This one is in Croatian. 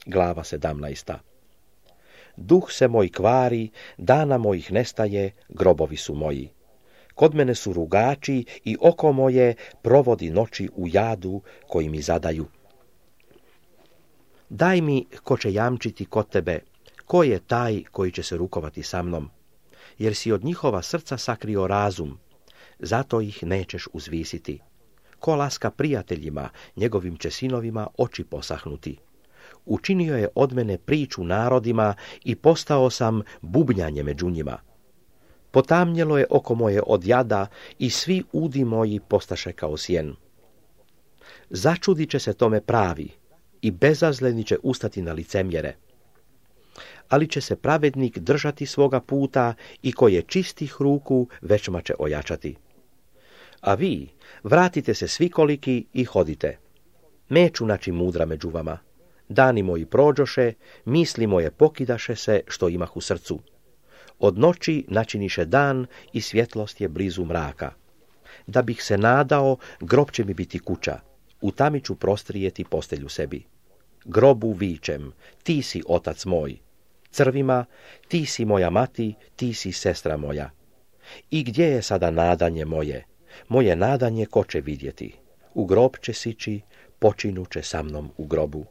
Glava 17. Duh se moj kvari, dana mojih nestaje, grobovi su moji. Kod mene su rugači i oko moje provodi noći u jadu koji mi zadaju. Daj mi ko će jamčiti kod tebe, ko je taj koji će se rukovati sa mnom, jer si od njihova srca sakrio razum, zato ih nećeš uzvisiti. Ko laska prijateljima, njegovim će sinovima oči posahnuti. Učinio je od mene priču narodima i postao sam bubnjanje među njima. Potamnjelo je oko moje od jada i svi udi moji postaše kao sjen. Začudit će se tome pravi i bezazleni će ustati na licemjere. Ali će se pravednik držati svoga puta i ko je čistih ruku većma će ojačati. A vi vratite se svikoliki i hodite. Neću naći mudra među vama. Dani moji prođoše, misli moje pokidaše se što imah u srcu. Od noći načiniše dan i svjetlost je blizu mraka. Da bih se nadao, grob će mi biti kuća. U tami ću prostrijeti postelju sebi. Grobu vičem, ti si otac moj. Crvima, ti si moja mati, ti si sestra moja. I gdje je sada nadanje moje? Moje nadanje ko će vidjeti? U grob će sići, počinut će sa mnom u grobu.